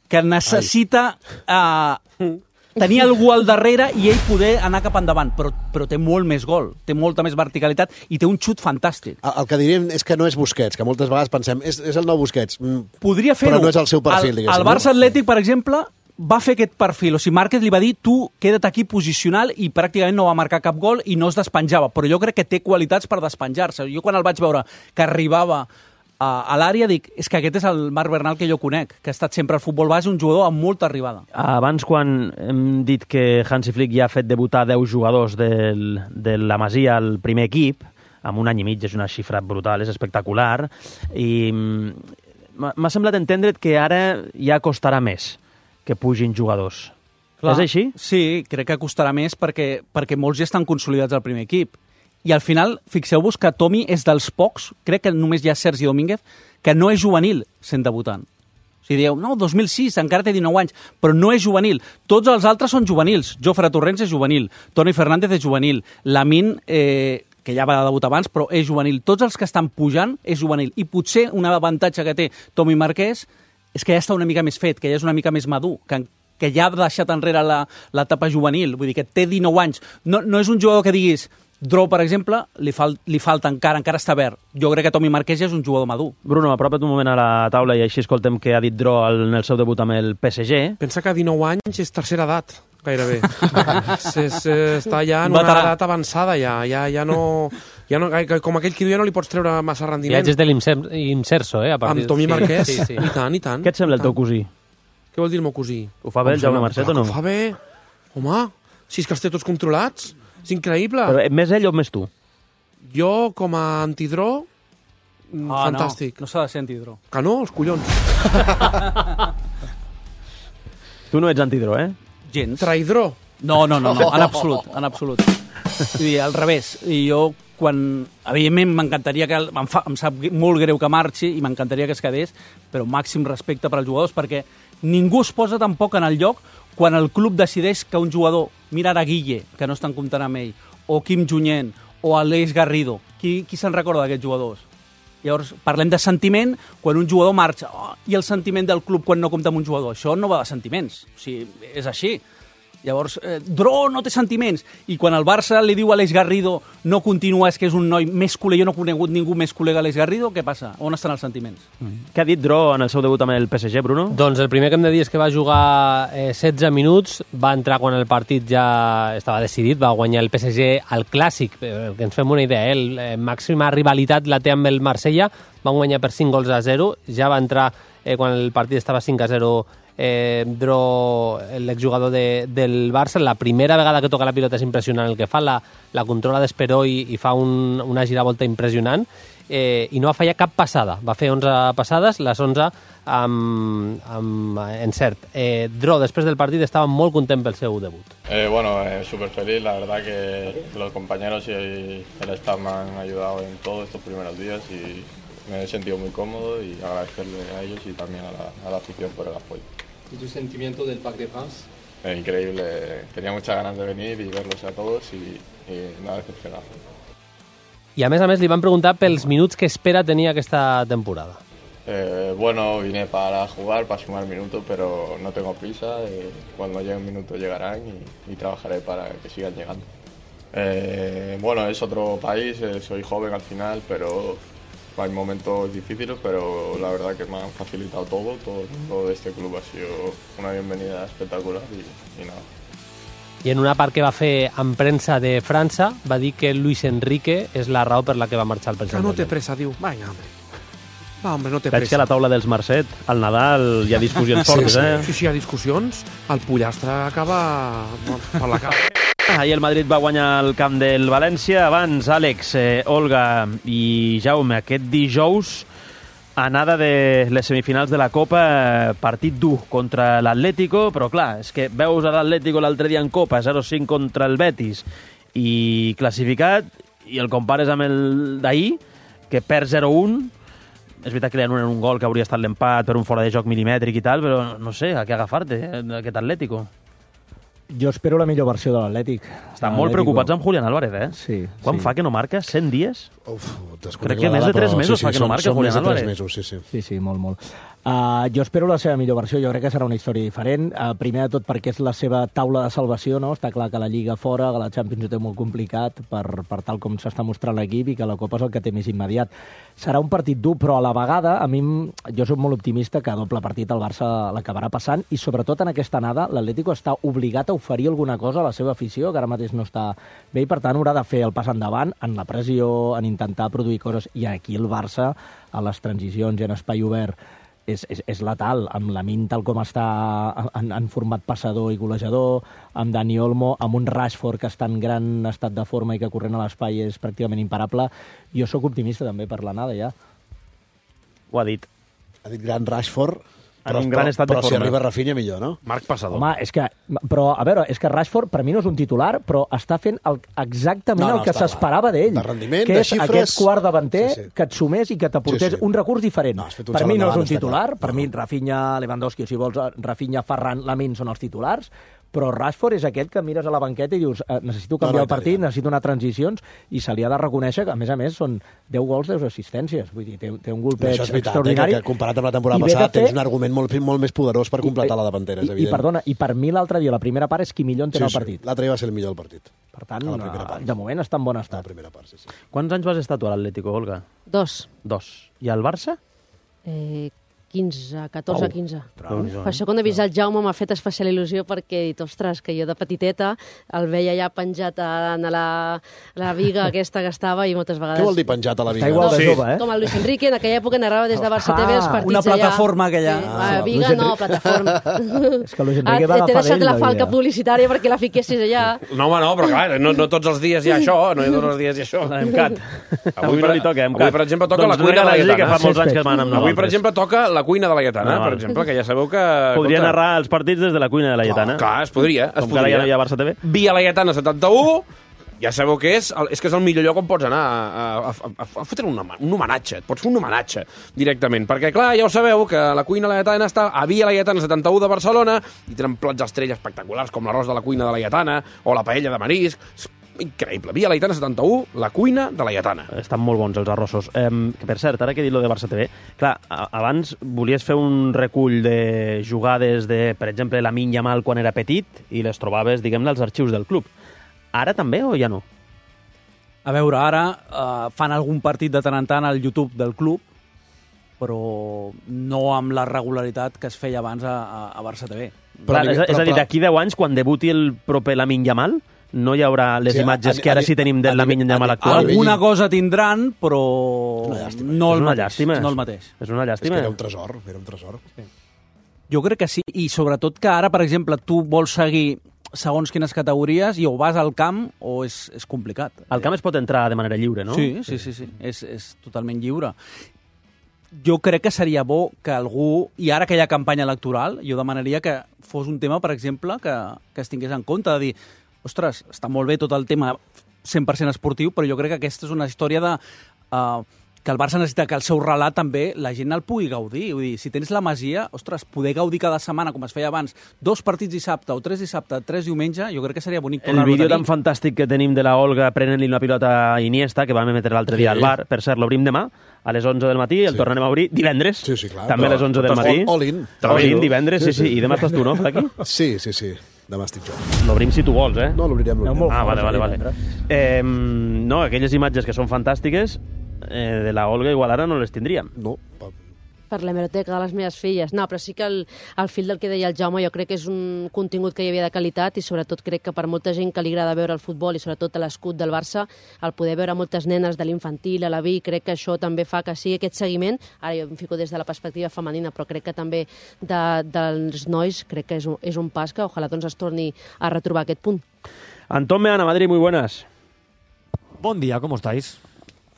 que necessita uh, tenir algú al darrere i ell poder anar cap endavant, però, però té molt més gol, té molta més verticalitat i té un xut fantàstic. El, el que diríem és que no és Busquets, que moltes vegades pensem, és, és el nou Busquets. Podria fer-ho. Però no és el seu perfil, el, diguéssim. El Barça Atlètic, per exemple, va fer aquest perfil. O sigui, Márquez li va dir, tu queda't aquí posicional, i pràcticament no va marcar cap gol i no es despenjava. Però jo crec que té qualitats per despenjar-se. Jo quan el vaig veure que arribava a, a l'àrea dic, és que aquest és el Marc Bernal que jo conec, que ha estat sempre al futbol base, un jugador amb molta arribada. Abans, quan hem dit que Hansi Flick ja ha fet debutar deu jugadors del, de la Masia al primer equip, amb un any i mig, és una xifra brutal, és espectacular, i m'ha semblat entendre't que ara ja costarà més que pugin jugadors. Clar. És així? Sí, crec que costarà més perquè, perquè molts ja estan consolidats al primer equip. I al final, fixeu-vos que Tommy és dels pocs, crec que només hi ha Sergi Domínguez, que no és juvenil sent debutant. O sigui, dieu, no, dos mil sis, encara té dinou anys, però no és juvenil. Tots els altres són juvenils. Jofre Torrents és juvenil, Toni Fernández és juvenil, Lamin, eh, que ja va debutar abans, però és juvenil. Tots els que estan pujant és juvenil. I potser un avantatge que té Tommy Márquez és que ja està una mica més fet, que ja és una mica més madur, que, que ja ha deixat enrere l'etapa juvenil. Vull dir que té dinou anys. No, no és un jugador que diguis, Dro, per exemple, li, fal, li falta encara, encara està verd. Jo crec que Tommy Márquez ja és un jugador madur. Bruno, apropa't un moment a la taula i així escoltem què ha dit Dro en el seu debut amb el P S G. Pensa que dinou anys és tercera edat, gairebé. és, és, està ja en una edat avançada, ja. Ja, ja no... Ja no, com aquell que diu, ja no li pots treure massa rendiment. Viatges de l'Imserso, eh? A amb Tommy Márquez, sí, sí. I tant, i tant. Què et sembla el teu cosí? Què vol dir el meu cosí? Ho fa bé el Jaume Marcet o no? Ho fa bé. Home, si és que els té tots controlats. És increïble. Però més ell o més tu? Jo, com a antidró, ah, fantàstic. No, no s'ha de ser antidró. Que no, els collons. Tu no ets antidró, eh? Gens. Traïdró. No, no, no, no, en absolut, en absolut. Vull dir, al revés. I jo, quan... Evidentment, m'encantaria que... Em, fa, em sap molt greu que marxi i m'encantaria que es quedés, però màxim respecte per als jugadors, perquè ningú es posa tampoc en el lloc quan el club decideix que un jugador, mira ara Guille, que no estan comptant amb ell, o Quim Junyent, o Aleix Garrido, qui, qui se'n recorda d'aquests jugadors? Llavors, parlem de sentiment quan un jugador marxa, oh, i el sentiment del club quan no compta amb un jugador. Això no va de sentiments, o sigui, és així. Llavors, eh, Dro no té sentiments. I quan el Barça li diu a Aleix Garrido no continua, és que és un noi més culer, jo no he conegut ningú més culer que Aleix Garrido, què passa? On estan els sentiments? Mm. Què ha dit Dro en el seu debut amb el P S G, Bruno? Doncs el primer que hem de dir és que va jugar eh, setze minuts, va entrar quan el partit ja estava decidit, va guanyar el P S G al Clàssic, eh, que ens fem una idea, eh, el eh, màxima rivalitat la té amb el Marsella, van guanyar per cinc gols a zero, ja va entrar eh, quan el partit estava cinc a zero Eh, Dro, l'exjugador de, del Barça, la primera vegada que toca la pilota és impressionant el que fa, la, la controla d'Esperó i, i fa un, una giravolta impressionant, eh, i no va fallar cap passada, va fer onze passades, les onze amb, amb encert. Eh, Dro, després del partit, estava molt content pel seu debut. Eh, bueno, eh, súper feliz, la verdad que los compañeros y el staff me han ayudado en todos estos primeros días y me he sentido muy cómodo y agradecerle a ellos y también a la, a la afición por el apoyo. ¿Y tu sentimiento del Parc de France? Eh, increíble, tenía muchas ganas de venir y verlos a todos y, y nada decepcionado. I a més a més li van preguntar pels minuts que espera tenir aquesta temporada. Eh, bueno, vine para jugar, para sumar minutos, pero no tengo prisa. Eh, cuando lleguen minutos llegarán y, y trabajaré para que sigan llegando. Eh, bueno, es otro país, eh, soy joven al final, pero hay momentos difíciles, pero la verdad que me han facilitado todo, todo, todo de este club ha sido una bienvenida espectacular y, y nada. I en una part que va fer en premsa de França va dir que Luis Enrique és la raó per la que va marxar el president. Que no té pressa, diu. Vinga, home. Va, home, no té pressa. Veig que a la taula dels Marcet, al Nadal, hi ha discussions sí, fortes, sí. eh? Sí, sí, hi ha discussions. El pollastre acaba per la cara. Ahir el Madrid va guanyar el camp del València. Abans, Àlex, eh, Olga i Jaume, aquest dijous, anada de les semifinals de la Copa, partit dur contra l'Atlético, però clar, és que veus a l'Atlético l'altre dia en Copa, zero cinc contra el Betis, i classificat, i el compares amb el d'ahir, que perd zero un. És veritat que li anulen un gol que hauria estat l'empat per un fora de joc milimètric i tal, però no sé, a què agafar-te, eh, aquest Atlético. Jo espero la millor versió de l'Atlètic. Estan molt preocupats amb Julián Álvarez, eh? Sí. Quan sí. fa que no marca? cent dies? Uf, Crec que més de tres mesos fa que no marca Julián Álvarez. Mesos, sí, sí. Sí, sí, molt, molt. Uh, jo espero la seva millor versió, jo crec que serà una història diferent, uh, primer de tot perquè és la seva taula de salvació, no? Està clar que la Lliga fora, que la Champions ho té molt complicat per, per tal com s'està mostrant l'equip i que la Copa és el que té més immediat. Serà un partit dur, però a la vegada, a mi, jo soc molt optimista que a doble partit el Barça l'acabarà passant i sobretot en aquesta anada l'Atlético està obligat a oferir alguna cosa a la seva afició, que ara mateix no està bé i per tant haurà de fer el pas endavant en la pressió, en intentar produir coses, i aquí el Barça, a les transicions i en espai obert, és, és, és letal, amb la Min tal com està en, en format passador i golejador, amb Dani Olmo, amb un Rashford que està en gran estat de forma i que corrent a l'espai és pràcticament imparable. Jo sóc optimista també per l'anada ja. Ho ha dit. Ha dit gran Rashford, en però, un gran estat de però forma. si arriba Rafinha millor, no? Marc Passador. Home, és que, però, a veure, és que Rashford per mi no és un titular, però està fent el, exactament No, no, el que està s'esperava d'ell. De rendiment, que de és xifres... aquest quart davanter Sí, sí. que et sumés i que t'aportés Sí, sí. un recurs diferent. No, has fet un per salt mi no és endavant, un està titular, clar. per No, mi no. Rafinha, Lewandowski, o si vols, Rafinha, Ferran, Lamine són els titulars, però Rashford és aquest que mires a la banqueta i dius eh, necessito canviar No, no, el partit, i tant. necessito anar a transicions, i se li ha de reconèixer que, a més a més, són deu gols, deu assistències. Vull dir, té, té un golpeig Això és veritat, eh, extraordinari. que, que comparat amb la temporada I ve de passada fer- tens un argument molt, molt més poderós per completar la davantera, és I, evident. I, perdona, i per mi l'altre dia, la primera part, és qui millor entén sí, el partit. Sí, l'altre dia va ser el millor del partit. Per tant, A la primera part. de moment està en bon A la estat. primera part, sí, sí. Quants anys vas estar tu a l'Atlético, Olga? Dos. Dos. I al Barça? Eh, quinze, catorze, Au. quinze. Déu-n'hi-do, Per això quan he vist el Jaume m'ha fet especial il·lusió perquè he dit, ostres, que jo de petiteta el veia ja penjat a, a la, la viga aquesta que estava i moltes vegades... Què vol dir penjat a la viga? Està igual de Sí. jove, eh? Com el Luis Enrique, en aquella època narrava des de Barça T V els Ah, partits una allà. plataforma aquella. Sí, Ah, ah, viga Luis no, Enrique. plataforma. És que Luis Ah, Enrique va t'he agafar deixat d'ell la la falca vida. publicitària perquè la fiquessis allà. No, home, no, però clar, no, no tots els dies hi ha això, no hi ha tots els dies hi ha això. Emcat. Avui, no li toca, Emcat. Avui, per exemple, toca doncs la cuina de la regala-li que Lletana. fa molts anys que van amb Avui, per nosaltres. exemple, toca la cuina de la Lletana, Ah, per val. exemple, que ja sabeu que... Podria escolta, narrar els partits des de la cuina de la Lletana. Clar, es podria, es Com que ara ja podria. no hi ha Barça T V. Via la Lletana setanta-u, ja sabeu què és, el- és que és el millor lloc on pots anar a, a, a, a, a fotre un, home- un homenatge, et pots fer un homenatge directament, perquè clar, ja ho sabeu que la cuina de la Lletana està a Via la Lletana setanta-u de Barcelona i tenen plats estrella espectaculars com l'arròs de la cuina de la Lletana o la paella de marisc, és increïble. Via la Lletana setanta-u, la cuina de la Lletana. Estan molt bons els arrossos. Eh, que per cert, ara que he dit lo de Barça T V, clar, a- abans volies fer un recull de jugades de, per exemple, Lamine Yamal quan era petit i les trobaves, diguem-ne, als arxius del club. Ara també o ja no? A veure, ara eh, fan algun partit de tant en tant al YouTube del club, però no amb la regularitat que es feia abans a, a, a Barça T V. Però Clar, a és, nivell- és a dir, però- d'aquí deu anys, quan debuti el proper Lamine Yamal, no hi haurà les Sí, a- imatges a- que ara a- sí tenim a del Lamine nivell- Yamal a- actual. a nivell- Alguna cosa tindran, però una llàstima. no És el una mateix. llàstima. No el mateix. És una És llàstima. que era un tresor, era un tresor. Jo crec que sí, i sobretot que ara, per exemple, tu vols seguir segons quines categories i o vas al camp o és, és complicat. Al camp es pot entrar de manera lliure, no? Sí, sí, sí, sí. És, és totalment lliure. Jo crec que seria bo que algú, i ara que hi ha campanya electoral, jo demanaria que fos un tema, per exemple, que, que es tingués en compte, de dir, ostres, està molt bé tot el tema cent per cent esportiu, però jo crec que aquesta és una història de... Uh, que el Barça necessita que el seu relat també la gent el pugui gaudir. Vull dir, si tens la Masia, ostres, poder gaudir cada setmana, com es feia abans, dos partits dissabte o tres dissabte, tres diumenge, jo crec que seria bonic El tornar-ho a vídeo tenir. tan fantàstic que tenim de la Olga prenent-li una pilota a Iniesta, que vam emetre l'altre dia Sí. al bar, per cert, l'obrim demà, a les onze del matí, el Sí. tornarem a obrir divendres, Sí, sí, clar. també a les onze del All- matí. all in. All in, divendres, sí, sí, i demà estàs tu, no, aquí? Sí, sí, sí. Demà estic jo. L'obrim si tu vols, eh? No, l'obrirem. l'obrirem. Ah, vale, vale, vale. Eh, no, aquelles imatges que són fantàstiques, eh, de la Olga igual ara no les tindríem. No, pa- Per l'hemeroteca de les meves filles. No, però sí que el, el fil del que deia el Jaume jo crec que és un contingut que hi havia de qualitat i sobretot crec que per molta gent que li agrada veure el futbol i sobretot l'escut del Barça, el poder veure moltes nenes de l'infantil a la vi, crec que això també fa que sigui aquest seguiment. Ara jo em fico des de la perspectiva femenina, però crec que també de, dels nois crec que és un, és un pas que ojalà doncs es torni a retrobar aquest punt. Antón Meana, Madrid, muy buenas. Buen día, ¿cómo estáis?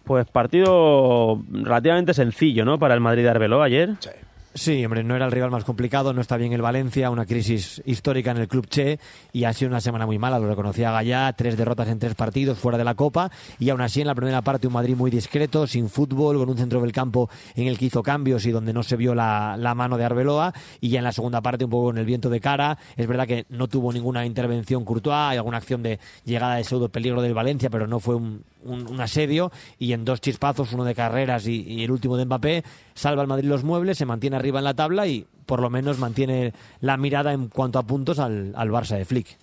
Pues partido relativamente sencillo, ¿no? Para el Madrid de Arbeloa ayer. Sí. Sí, hombre, no era el rival más complicado, no está bien el Valencia, una crisis histórica en el club Che y ha sido una semana muy mala, lo reconocía Gallá, tres derrotas en tres partidos fuera de la Copa y aún así en la primera parte un Madrid muy discreto, sin fútbol, con un centro del campo en el que hizo cambios y donde no se vio la, la mano de Arbeloa y ya en la segunda parte un poco con el viento de cara. Es verdad que no tuvo ninguna intervención Courtois, hay alguna acción de llegada de pseudo peligro del Valencia, pero no fue un, un, un asedio y en dos chispazos, uno de Carreras y, y el último de Mbappé, salva al Madrid los muebles, se mantiene arriba en la tabla y por lo menos mantiene la mirada en cuanto a puntos al, al Barça de Flick.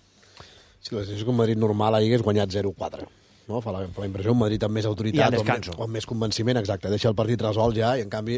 Sí, la situació és que un Madrid normal ahir hagués guanyat zero quatre. No? Fa la, fa la impressió un Madrid amb més autoritat o amb, més, o amb més convenciment, exacte. Deixa el partit resolt ja i, en canvi,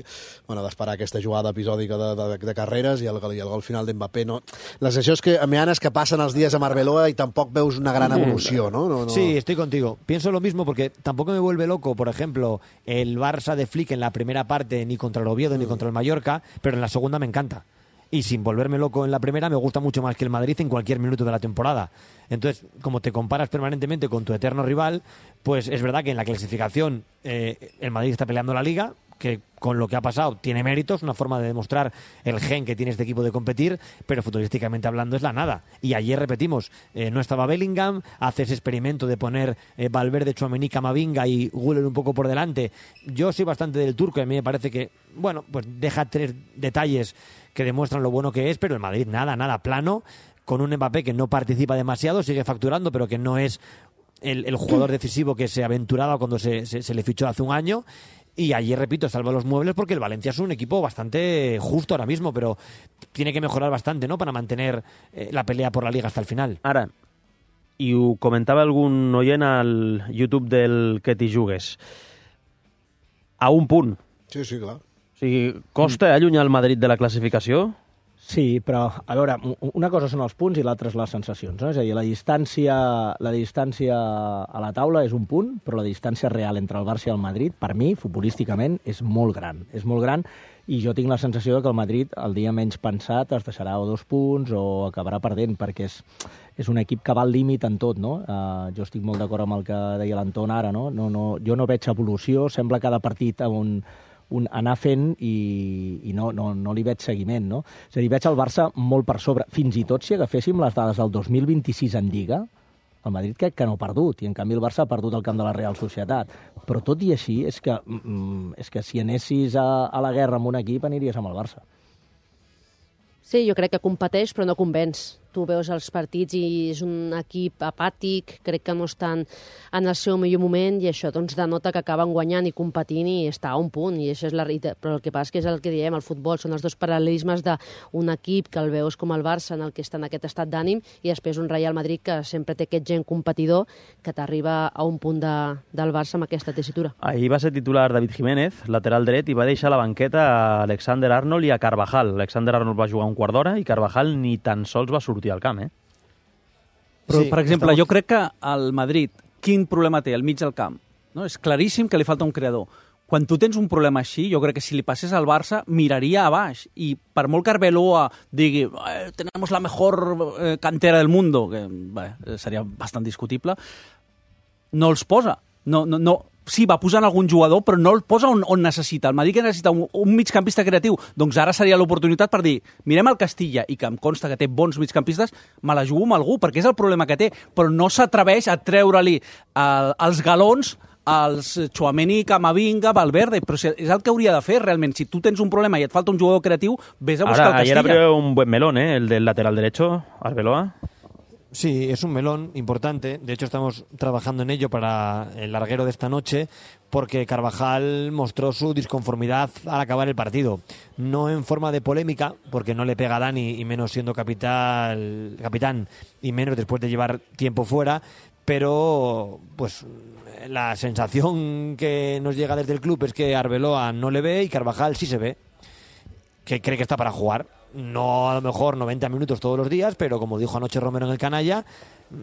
bueno, d'esperar aquesta jugada episòdica de, de, de Carreras i el, i el gol final d'Mbappé. No? La sensació és que, Meana, és que passen els dies a Arbeloa i tampoc veus una gran evolució, ¿no? No, no. Sí, estoy contigo. Pienso lo mismo porque tampoco me vuelve loco, por ejemplo, el Barça de Flick en la primera parte ni contra el Oviedo mm. ni contra el Mallorca, pero en la segunda me encanta. Y sin volverme loco en la primera, me gusta mucho más que el Madrid en cualquier minuto de la temporada. Entonces, como te comparas permanentemente con tu eterno rival, pues es verdad que en la clasificación eh, el Madrid está peleando la Liga, que con lo que ha pasado tiene méritos, una forma de demostrar el gen que tiene este equipo de competir, pero futbolísticamente hablando es la nada. Y ayer, repetimos, eh, no estaba Bellingham, hace ese experimento de poner eh, Valverde, Tchouaméni, Camavinga y Güler un poco por delante. Yo soy bastante del turco y a mí me parece que, bueno, pues deja tres detalles que demuestran lo bueno que es, pero el Madrid nada, nada, plano, con un Mbappé que no participa demasiado, sigue facturando, pero que no es el, el jugador decisivo que se aventuraba cuando se, se, se le fichó hace un año. Y ayer, repito, salva los muebles porque el Valencia es un equipo bastante justo ahora mismo, pero tiene que mejorar bastante, ¿no?, para mantener eh, la pelea por la Liga hasta el final. Ara, i ho comentava algun oient al YouTube del Que t'hi jugues, a un punt. Sí, sí, clar. O sigui, costa mm. allunyar el Madrid de la classificació? Sí, però, a veure, una cosa són els punts i l'altra és les sensacions, no? És a dir, la distància, la distància a la taula és un punt, però la distància real entre el Barça i el Madrid, per mi, futbolísticament, és molt gran. És molt gran i jo tinc la sensació que el Madrid, el dia menys pensat, es deixarà o dos punts o acabarà perdent, perquè és, és un equip que va al límit en tot, no? Uh, jo estic molt d'acord amb el que deia l'Anton ara, no? No, no? Jo no veig evolució, sembla cada partit on un anar fent i, i no, no, no li veig seguiment, no? És a dir, veig el Barça molt per sobre. Fins i tot si agaféssim les dades del dos mil vint-i-sis en Lliga, el Madrid crec que no ha perdut, i en canvi el Barça ha perdut el camp de la Real Societat. Però tot i així, és que, mm, és que si anessis a, a la guerra amb un equip, aniries amb el Barça. Sí, jo crec que competeix, però no convenç. Tu veus els partits i és un equip apàtic, crec que no estan en el seu millor moment i això doncs denota que acaben guanyant i competint i està a un punt, i això és la realitat. Però el que passa és que és el que diem, el futbol són els dos paral·lelismes d'un equip que el veus com el Barça en el que està en aquest estat d'ànim i després un Real Madrid que sempre té aquest gent competidor que t'arriba a un punt de, del Barça amb aquesta tessitura. Ahir va ser titular David Jiménez, lateral dret, i va deixar a la banqueta a Alexander Arnold i a Carvajal. Alexander Arnold va jugar un quart d'hora i Carvajal ni tan sols va sortir al camp, eh? Però, sí, per exemple, estamos... jo crec que el Madrid, quin problema té al mig del camp? No? És claríssim que li falta un creador. Quan tu tens un problema així, jo crec que si li passés al Barça, miraria a baix. I per molt que Arbeloa digui eh, tenemos la mejor eh, cantera del mundo, que bé, seria bastant discutible, no els posa. No, no, no. Sí, va posant algun jugador, però no el posa on, on necessita. El Madrid que necessita un, un migcampista creatiu, doncs ara seria l'oportunitat per dir, mirem el Castilla, i que em consta que té bons migcampistes, me la jugo amb algú, perquè és el problema que té, però no s'atreveix a treure-li el, els galons als Tchouaméni, Camavinga, Valverde, però és el que hauria de fer realment. Si tu tens un problema i et falta un jugador creatiu, vés a buscar Ahora, el Castilla. Ayer abrió un buen melón, ¿eh? El del lateral derecho, Arbeloa. Sí, es un melón importante. De hecho, estamos trabajando en ello para el larguero de esta noche, porque Carvajal mostró su disconformidad al acabar el partido. No en forma de polémica, porque no le pega a Dani, y menos siendo capital, capitán, y menos después de llevar tiempo fuera, pero pues la sensación que nos llega desde el club es que Arbeloa no le ve y Carvajal sí se ve, que cree que está para jugar. No a lo mejor noventa minutos todos los días, pero como dijo anoche Romero en el Canalla,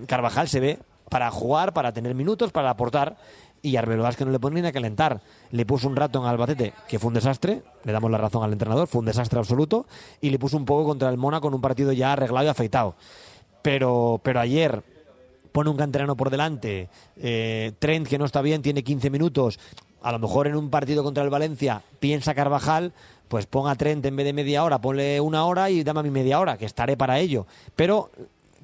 Carvajal se ve para jugar, para tener minutos, para aportar, y Arbeloa es que no le pone ni a calentar. Le puso un rato en Albacete, que fue un desastre, le damos la razón al entrenador, fue un desastre absoluto, y le puso un poco contra el Mónaco con un partido ya arreglado y afeitado. Pero, pero ayer pone un canterano por delante, eh, Trent, que no está bien, tiene quince minutos, a lo mejor en un partido contra el Valencia piensa Carvajal, pues ponga Trent en vez de media hora, ponle una hora y dame a mi media hora, que estaré para ello. Pero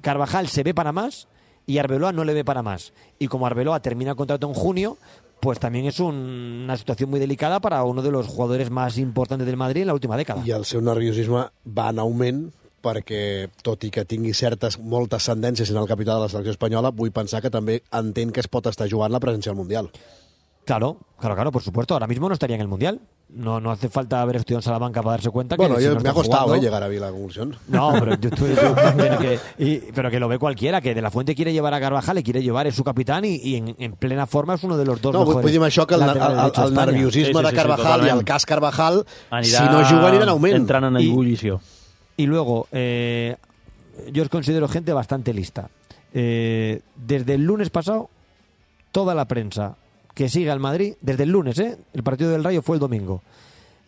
Carvajal se ve para más y Arbeloa no le ve para más. Y como Arbeloa termina el contrato en junio, pues también és un, una situació muy delicada para uno de los jugadores más importantes del Madrid en la última década. I el seu nerviosisme va en augment perquè, tot i que tingui certes, moltes tendències en el capità de la selecció espanyola, vull pensar que també entén que es pot estar jugant la presència al Mundial. Claro, claro, claro, por supuesto. Ahora mismo no estaría en el Mundial. No, no hace falta haber estudiado en Salamanca para darse cuenta que... Bueno, si yo, no me ha costado jugando, eh, llegar a la conclusión. No, pero, yo, tú, tú, que, que, y, pero que lo ve cualquiera, que De La Fuente quiere llevar a Carvajal, le quiere llevar, es su capitán y, y en, en plena forma es uno de los dos no, mejores. No, vull dir això, que el, el, el, el nerviosisme sí, sí, sí, de Carvajal sí, i el cas Carvajal, anirà, si no juga, anirà en augment. Entrant en ebullició. Y, y luego, eh, yo os considero gente bastante lista. Eh, desde el lunes pasado, toda la prensa que sigue al Madrid, desde el lunes, ¿eh? El partido del Rayo fue el domingo.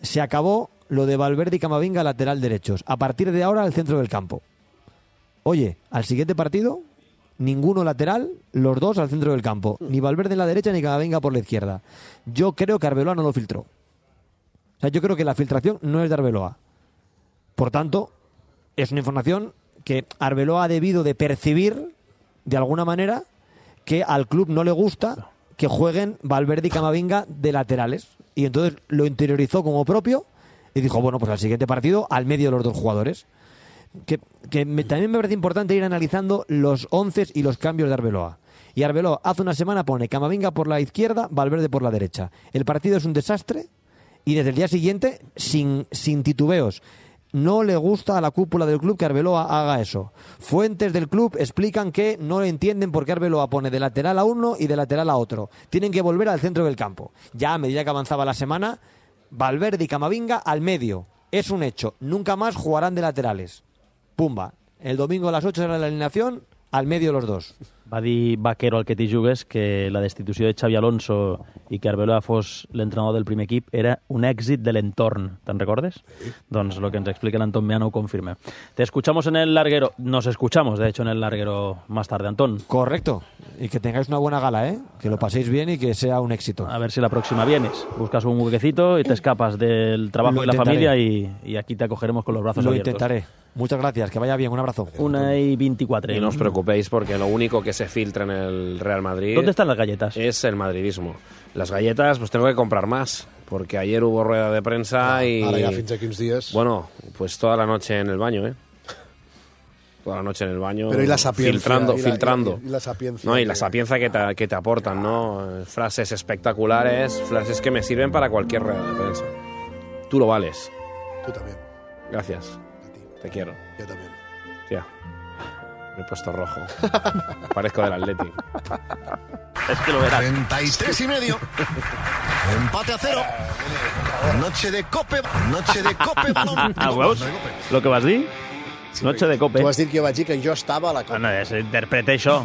Se acabó lo de Valverde y Camavinga lateral derechos. A partir de ahora, al centro del campo. Oye, al siguiente partido, ninguno lateral, los dos al centro del campo. Ni Valverde en la derecha, ni Camavinga por la izquierda. Yo creo que Arbeloa no lo filtró. O sea, yo creo que la filtración no es de Arbeloa. Por tanto, es una información que Arbeloa ha debido de percibir, de alguna manera, que al club no le gusta que jueguen Valverde y Camavinga de laterales. Y entonces lo interiorizó como propio y dijo, bueno, pues al siguiente partido, al medio de los dos jugadores. Que, que me, también me parece importante ir analizando los once y los cambios de Arbeloa. Y Arbeloa hace una semana pone Camavinga por la izquierda, Valverde por la derecha. El partido es un desastre y desde el día siguiente, sin, sin titubeos, no le gusta a la cúpula del club que Arbeloa haga eso. Fuentes del club explican que no entienden por qué Arbeloa pone de lateral a uno y de lateral a otro. Tienen que volver al centro del campo. Ya a medida que avanzaba la semana, Valverde y Camavinga al medio. Es un hecho. Nunca más jugarán de laterales. Pumba. El domingo a las ocho será la alineación, al medio los dos. Va dir Vaquero al que t'hi jugues que la destitució de Xavi Alonso i que Arbeloa fos l'entrenador del primer equip era un èxit de l'entorn. Te'n recordes? Sí. Doncs lo que ens explica l'Antón Meano ho confirma. Te escuchamos en el larguero, nos escuchamos de hecho en el larguero más tarde, Antón. Correcto. Y que tengáis una buena gala, ¿eh? Que lo paséis bien y que sea un éxito. A ver si la próxima vienes. Buscas un huequecito y te escapas del trabajo lo y la familia y, y aquí te acogeremos con los brazos lo abiertos. Lo intentaré. Muchas gracias, que vaya bien, un abrazo. Una y veinticuatro. Y no os preocupéis porque lo único que se filtra en el Real Madrid... ¿Dónde están las galletas? Es el madridismo. Las galletas, pues tengo que comprar más, porque ayer hubo rueda de prensa ah, y... Ahora ya fins aquí uns días. Bueno, pues toda la noche en el baño, ¿eh? Toda la noche en el baño. Pero y la sapiencia. Filtrando, y la, filtrando. Y, y la sapiencia. No, y la sapiencia que te, que te aportan, ¿no? Frases espectaculares, frases que me sirven para cualquier rueda de prensa. Tú lo vales. Tú también. Gracias. A ti. Te quiero. Yo también. Tía, me he puesto rojo. Parezco del Atleti. Es que lo verás. treinta y tres y medio. Empate a cero. Noche de cope. Noche de cope. Ah, veus? Lo que vas dir? Sí, noche de cope. Tu vas dir que jo vaig dir que jo estava a la cope. Ah, no, és, interpreta això.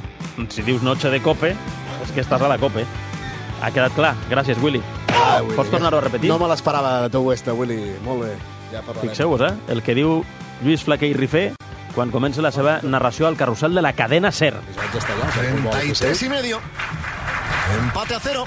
Si dius noche de cope, és que estàs a la cope. Ha quedat clar. Gràcies, Willy. Ah, Willy. Pots tornar-ho a repetir? No me l'esperava de tu, esta, Willy. Molt bé. Ja fixeu-vos, eh? El que diu Lluís Flaquer i Rifé quan comença la seva narració al carrusel de la cadena SER. treinta y tres y medio. Empate a cero.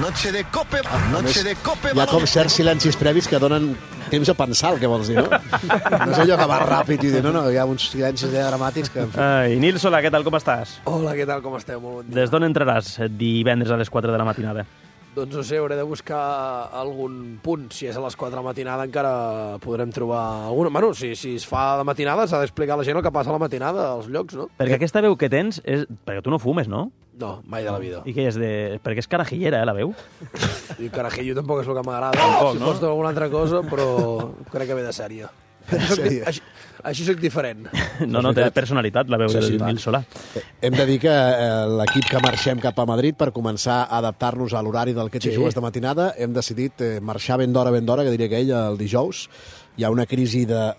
Noche de cope. Noche de cope. Hi ha com certs silencis previs que donen temps a pensar el que vols dir, no? No sé allò que va ràpid i dir, no, no, hi ha uns silencis dramàtics que... Ai, Nils, hola, què tal, com estàs? Hola, què tal, com esteu? Molt bon dia. Des d'on entraràs divendres a les quatre de la matinada? Doncs no sé, hauré de buscar algun punt. Si és a les quatre de la matinada encara podrem trobar alguna... Bueno, si, si es fa de matinada s'ha d'explicar a la gent el que passa a la matinada als llocs, no? Perquè aquesta veu que tens és... Perquè tu no fumes, no? No, mai de la vida. I què és de... Perquè és carajillera, eh, la veu? I carajillo tampoc és el que m'agrada. Tampoc, si no? pots dir alguna altra cosa, però crec que ve de sèrie. Sèrie. Així, així soc diferent. No, no, té personalitat la veu sí, del sí, Nil Solà. Hem de dir que eh, l'equip que marxem cap a Madrid per començar a adaptar-nos a l'horari del que t'hi sí. jugues de matinada, hem decidit eh, marxar ben d'hora, ben d'hora, que diria que ell, el dijous. Hi ha una crisi de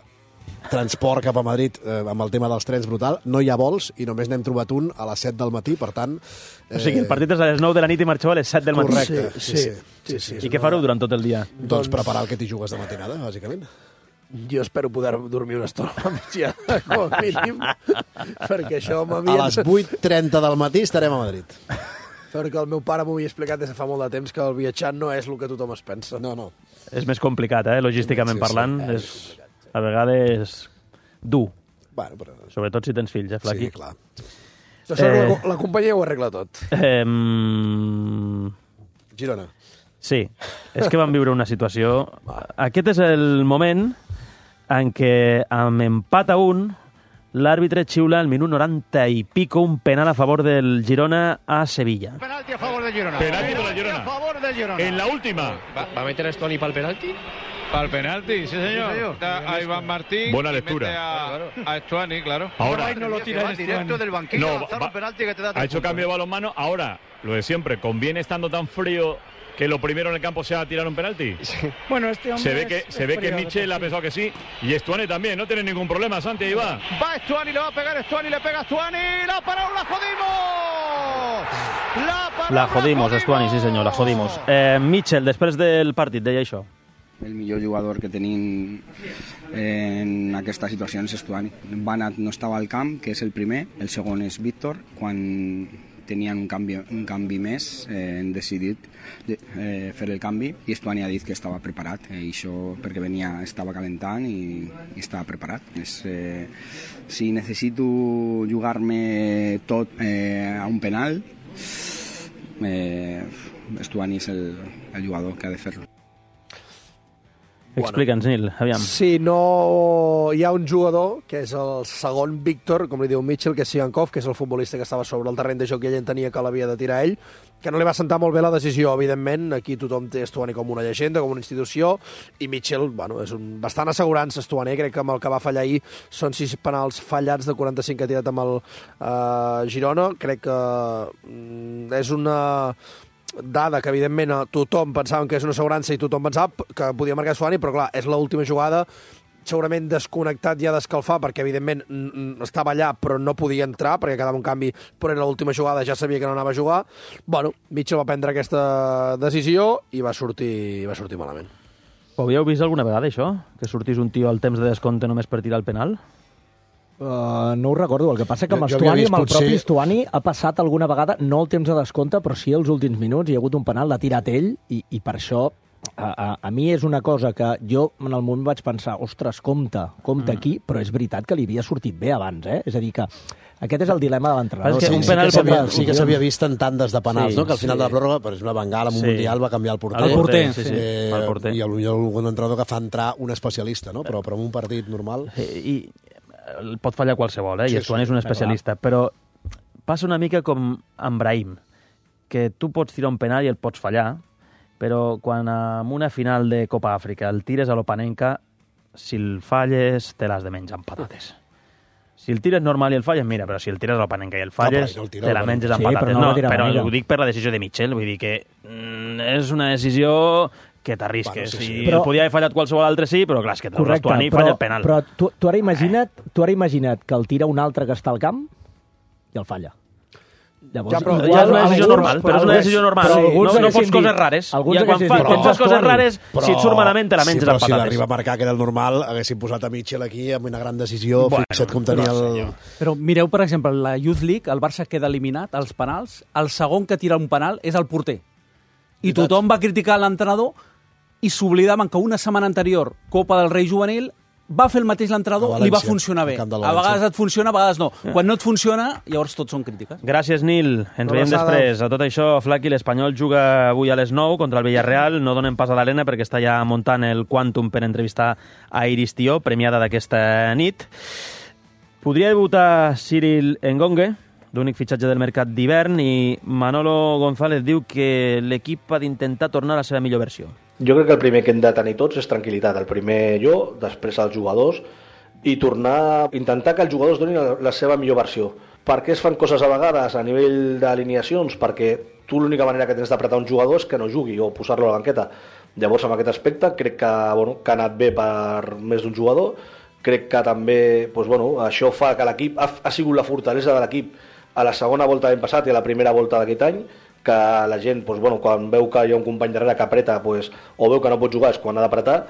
transport cap a Madrid eh, amb el tema dels trens brutal. No hi ha vols i només n'hem trobat un a les set del matí, per tant... Eh... O sigui, el partit és a les nou de la nit i marxeu a les set del matí. Correcte, sí. sí, sí. sí, sí, sí I què fareu durant tot el dia? Doncs, doncs preparar el que t'hi jugues de matinada, bàsicament. Jo espero poder dormir una estona a migdiada, com a mínim, perquè això m'havia... A les vuit trenta del matí estarem a Madrid. Perquè el meu pare m'ho havia explicat des de fa molt de temps que el viatjant no és el que tothom es pensa. No, no. És més complicat, eh? Logísticament Sí, sí, parlant. sí. És, a vegades, dur. Bueno, però... Sobretot si tens fills, eh, Flaqui? Sí, clar. Això eh... la, la companyia ho arregla tot. Eh... Girona. Sí, és que vam viure una situació... Aquest és el moment en què, amb empat a un, l'àrbitre xiula al minut noranta i pico un penal a favor del Girona a Sevilla. Penalti a favor del Girona. Penalti para el Girona. A favor del Girona. En la última. ¿Va, va a meter a Estuani para el penalti? Para el penalti, sí señor. Sí, señor. Está a Iván Martín. Buena y lectura. mete A, a Estuani, claro. Ahora. No lo tira directo del banquillo. No, a lanzar va- un penalti que te da Ha tres hecho puntos. cambio de balonmano. Ahora, lo de siempre, conviene estando tan frío que lo primero en el campo sea tirar un penalti. Bueno, este hombre Se ve que, es- se es ve que frío, Michel ha pensado que sí. Y Estuani también, no tiene ningún problema. Santi, ahí va. Va Estuani, le va a pegar Estuani, le pega Estuani. ¡La paró, la jodimos! ¡La paró, La jodimos, Estuani, sí senyor, la jodimos. Eh, Mitchell, després del partit, deia això. El millor jugador que tenim en aquesta situació és Estuani. Banat no estava al camp, que és el primer. El segon és Víctor. Quan tenien un canvi, un canvi més, eh, hem decidit eh, fer el canvi i Estuani ha dit que estava preparat. Eh, i això perquè venia, estava calentant i, i estava preparat. És, eh, si necessito jugar-me tot eh, a un penal, eh, Estuani és el, el jugador que ha de fer-lo. Explica'ns, Nil, aviam. Si no hi ha un jugador, que és el segon Víctor, com li diu Mitchell, que és Sigankov, que és el futbolista que estava sobre el terreny de joc i ell entenia que l'havia de tirar ell, que no li va sentar molt bé la decisió, evidentment. Aquí tothom té Estuani com una llegenda, com una institució, i Mitchell, bueno, és un bastant assegurança Estuani. Crec que amb el que va fallar ahir són sis penals fallats de quaranta-cinc que ha tirat amb el uh, Girona. Crec que mm, és una dada que, evidentment, tothom pensava que és una assegurança i tothom pensava que podia marcar Estuani, però, clar, és l'última jugada, segurament desconnectat ja d'escalfar, perquè, evidentment, estava allà, però no podia entrar, perquè quedava un canvi, però era l'última jugada, ja sabia que no anava a jugar. Bueno, Mitchell va prendre aquesta decisió i va sortir, va sortir malament. Ho havíeu vist alguna vegada, això? Que sortís un tio al temps de descompte només per tirar el penal? Uh, no ho recordo, el que passa que amb Jo- jo havia Estuani, vist amb el potser- propi Estuani, ha passat alguna vegada, no el temps de descompte, però sí els últims minuts, hi ha hagut un penal, l'ha tirat ell, i, i per això a, a, a mi és una cosa que jo en el moment vaig pensar, ostres, compte, compte mm. aquí, però és veritat que li havia sortit bé abans, eh? És a dir que aquest és el dilema de l'entrenador. És que Sí, un sí, penal que s'havia- pot- sí que s'havia vist en tandes de penals, Sí, no? Que al final sí. de la pròrroga, per exemple, Bengala, en un Sí. Mundial, va canviar el porter. El porter, sí, sí. Eh, El porter. I potser hi ha algun entrenador que fa entrar un especialista, no? Però, però en un partit normal... I, i el pot fallar qualsevol, eh? Sí, I Estuani sí, és un clar. especialista. Però passa una mica com amb Brahim, que tu pots tirar un penal i el pots fallar, però quan en una final de Copa Àfrica el tires a l'Opanenka, si el falles, te l'has de menjar amb patates. Si el tires normal i el falles, mira, però si el tires a l'Opanenka i el falles, No, però no el tira te la a menges Sí, amb però patates. no el va No, tirar però gaire. ho dic per la decisió de Mitchell, vull dir que mm, és una decisió que t'arrisques. Bueno, sí, sí. I Però- el podia haver fallat qualsevol altre, sí, però clar, és que treus Correcte, l'Estuani i però, falla el penal. però tu, tu, ara imagina't, tu ara imagina't que el tira un altre que està al camp i el falla. Llavors, Ja, però igual ja és una decisió alguns- normal, però és una decisió normal. però Sí, alguns no- no haguessin fots coses dit- rares. alguns Ja quan haguessin fa- dit, quan "Tens fas coses Estuani". rares, si et surt malament, te la menges sí, però amb si patates. l'arriba a marcar, que era el normal, haguessin posat a Mitchell aquí amb una gran decisió, Bueno, fixa't com tenia però, el... Però mireu, per exemple, la Youth League, el Barça queda eliminat als penals, el segon que tira un penal és el porter. I tothom va criticar l'entrenador i s'oblidaven que una setmana anterior, Copa del Rei Juvenil, va fer el mateix A l'entrenador, València, li va funcionar bé. al camp del A València. vegades et funciona, a vegades no. Quan no et funciona, llavors tots són crítiques. Gràcies, Nil. Ens Una veiem abraçada. després. A tot això, Flaqui, l'Espanyol juga avui a les nou contra el Villarreal. No donem pas a l'Arena perquè està ja muntant el Quantum per entrevistar a Iris Tió, premiada d'aquesta nit. Podria debutar Cyril Engongue, l'únic fitxatge del mercat d'hivern, i Manolo González diu que l'equip ha d'intentar tornar a la seva millor versió. Jo crec que el primer que hem de tenir tots és tranquil·litat. El primer jo, després els jugadors, i tornar a intentar que els jugadors donin la, la seva millor versió. Per què es fan coses a vegades a nivell d'alineacions? Perquè tu l'única manera que tens d'apretar un jugador és que no jugui o posar-lo a la banqueta. Llavors, amb aquest aspecte, crec que, bueno, que ha anat bé per més d'un jugador. Crec que també doncs, bueno, això fa que l'equip ha, ha sigut la fortalesa de l'equip a la segona volta de l'any passat i a la primera volta d'aquest any, que la gent, doncs, bueno, quan veu que hi ha un company darrere que apreta, doncs, o veu que no pot jugar és quan ha d'apretar,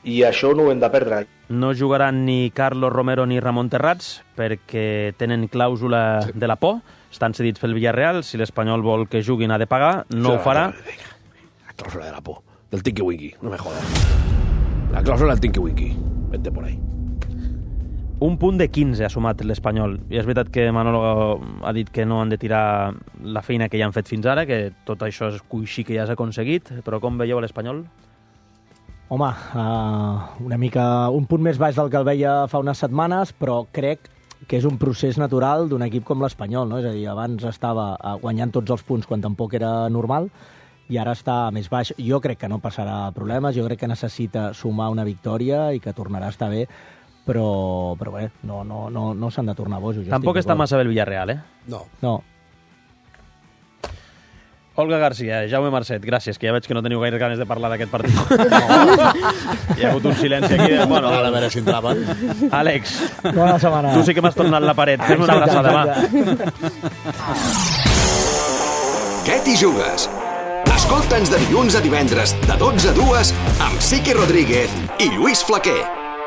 i això no ho hem de perdre. No jugaran ni Carlos Romero ni Ramon Terrats perquè tenen clàusula sí. de la por estan cedits pel Villarreal, si l'Espanyol vol que juguin ha de pagar, no ho farà. La clàusula de la por, del Tinky Winky, no me jodas. La clàusula del Tinky Winky, vete por ahí. Un punt de quinze ha sumat l'Espanyol. I és veritat que Manolo ha dit que no han de tirar la feina que ja han fet fins ara, que tot això és coixí que ja s'ha aconseguit, però com veieu l'Espanyol? Home, uh, una mica un punt més baix del que el veia fa unes setmanes, però crec que és un procés natural d'un equip com l'Espanyol, no? És a dir, abans estava guanyant tots els punts quan tampoc era normal, i ara està més baix. Jo crec que no passarà problemes, jo crec que necessita sumar una victòria i que tornarà a estar bé, però, però bé, no, no, no, no s'han de tornar bojos. Tampoc està massa bé el Villarreal, eh? No. No. Olga García, Jaume Marcet, gràcies, que ja veig que no teniu gaire ganes de parlar d'aquest partit. No. Hi ha hagut un silenci aquí. De... Bueno, a veure si entraven. Àlex, bona setmana. Tu sí que m'has tornat la paret. Fem una abraçada demà. Què t'hi jugues? Escolta'ns de dilluns a divendres, de dotze a dues, amb Sique Rodríguez i Lluís Flaquer.